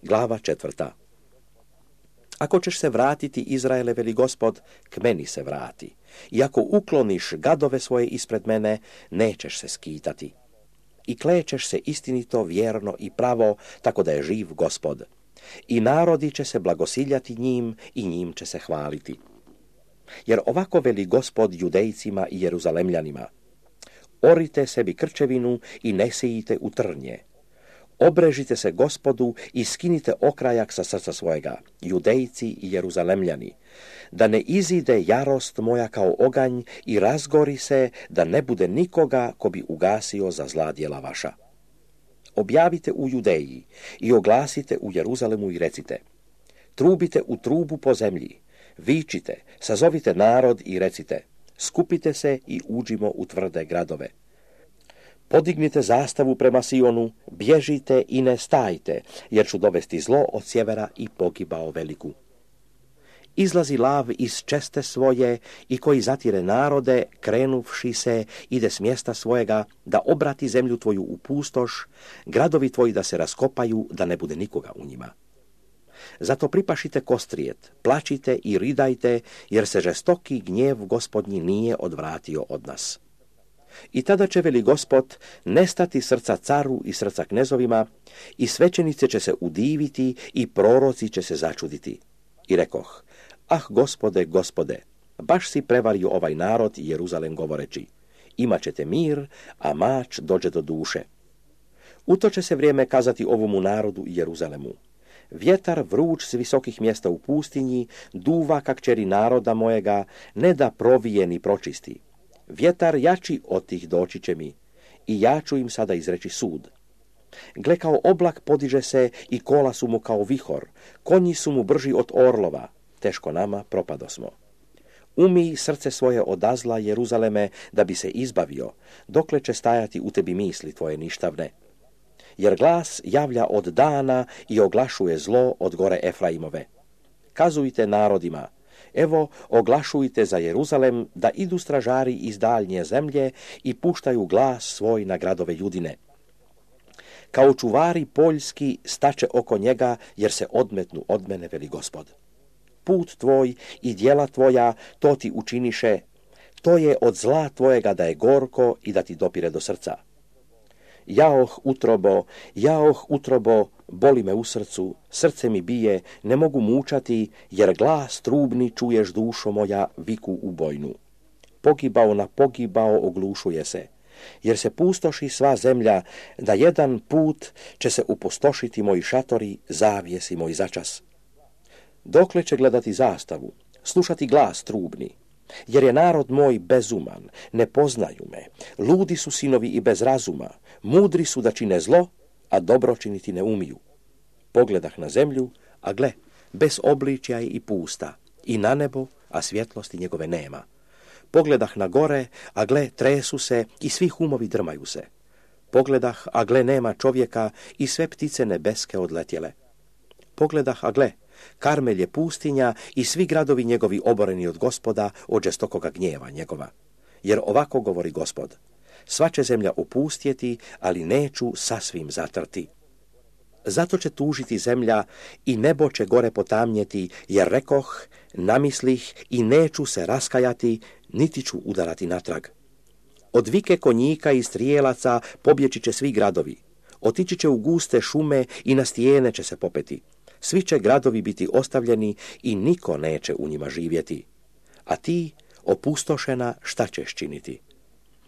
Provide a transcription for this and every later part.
Glava 4. Ako ćeš se vratiti, Izraele, veli Gospod, k meni se vrati. I ako ukloniš gadove svoje ispred mene, nećeš se skitati. I klećeš se istinito, vjerno i pravo, tako da je živ Gospod. I narodi će se blagosiljati njim i njim će se hvaliti. Jer ovako veli Gospod Judejcima i Jeruzalemljanima: orite sebi krčevinu i ne sijite u trnje. Obrežite se Gospodu i skinite okrajak sa srca svojega, Judejci i Jeruzalemljani, da ne izide jarost moja kao oganj i razgori se, da ne bude nikoga ko bi ugasio za zla djela vaša. Objavite u Judeji i oglasite u Jeruzalemu i recite: trubite u trubu po zemlji, vičite, sazovite narod i recite: skupite se i uđimo u tvrde gradove. Podignite zastavu prema Sionu, bježite i ne stajte, jer ću dovesti zlo od sjevera i pogibao veliku. Izlazi lav iz česte svoje i koji zatire narode, krenuvši se, ide s mjesta svojega, da obrati zemlju tvoju u pustoš, gradovi tvoji da se raskopaju, da ne bude nikoga u njima. Zato pripašite kostrijet, plačite i ridajte, jer se žestoki gnjev Gospodnji nije odvratio od nas. I tada će, veli Gospod, nestati srca caru i srca knezovima, i svećenice će se udiviti i proroci će se začuditi. I rekoh: ah, Gospode, Gospode, baš si prevario ovaj narod i Jeruzalem govoreći: imat ćete mir, a mač dođe do duše. U to će se vrijeme kazati ovomu narodu i Jeruzalemu: vjetar vruć s visokih mjesta u pustinji duva ka kćeri naroda mojega, ne da provije ni pročisti. Vjetar jači od tih doći će mi, i ja ću im sada izreći sud. Gle, kao oblak podiže se i kola su mu kao vihor, konji su mu brži od orlova, teško nama propadosmo. Umij srce svoje od zla, Jeruzaleme, da bi se izbavio, dokle će stajati u tebi misli tvoje ništavne. Jer glas javlja od dana i oglašuje zlo od gore Efraimove. Kazujte narodima: evo, oglašujte za Jeruzalem da idu stražari iz daljnje zemlje i puštaju glas svoj na gradove Judine. Kao čuvari poljski staće oko njega, jer se odmetnu od mene, veli Gospod. Put tvoj i djela tvoja, to ti učiniše, to je od zla tvojega da je gorko i da ti dopire do srca. Jaoh, utrobo, boli me u srcu, srce mi bije, ne mogu mučati, jer glas trubni čuješ, dušo moja, viku ubojnu. Pogibao na pogibao oglušuje se, jer se pustoši sva zemlja, da jedan put će se upustošiti moji šatori, zavjesi moj začas. Dokle će gledati zastavu, slušati glas trubni? Jer je narod moj bezuman, ne poznaju me, ludi su sinovi i bez razuma, mudri su da čine zlo, a dobro činiti ne umiju. Pogledah na zemlju, a gle, bez obličja i pusta, i na nebo, a svjetlosti njegove nema. Pogledah na gore, a gle, tresu se i svi humovi drmaju se. Pogledah, a gle, nema čovjeka i sve ptice nebeske odletjele. Pogledah, a gle, Karmel je pustinja i svi gradovi njegovi oboreni od Gospoda, od žestokoga gnjeva njegova. Jer ovako govori Gospod: sva će zemlja opustjeti, ali neću sasvim zatrti. Zato će tužiti zemlja i nebo će gore potamnjeti, jer rekoh, namislih i neću se raskajati, niti ću udarati natrag. Od vike konjika i strijelaca pobjeći će svi gradovi. Otići će u guste šume i na stijene će se popeti. Svi će gradovi biti ostavljeni i niko neće u njima živjeti. A ti, opustošena, šta ćeš činiti?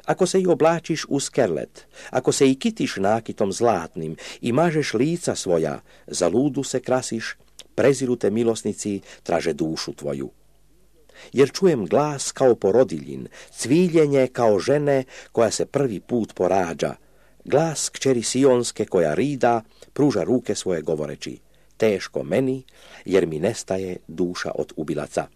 Ako se i oblačiš u skerlet, ako se i kitiš nakitom zlatnim i mažeš lica svoja, za ludu se krasiš, preziru te milosnici, traže dušu tvoju. Jer čujem glas kao porodiljin, cviljenje kao žene koja se prvi put porađa, glas kćeri Sionske koja rida, pruža ruke svoje govoreći: teško meni, jer mi nestaje duša od ubilaca.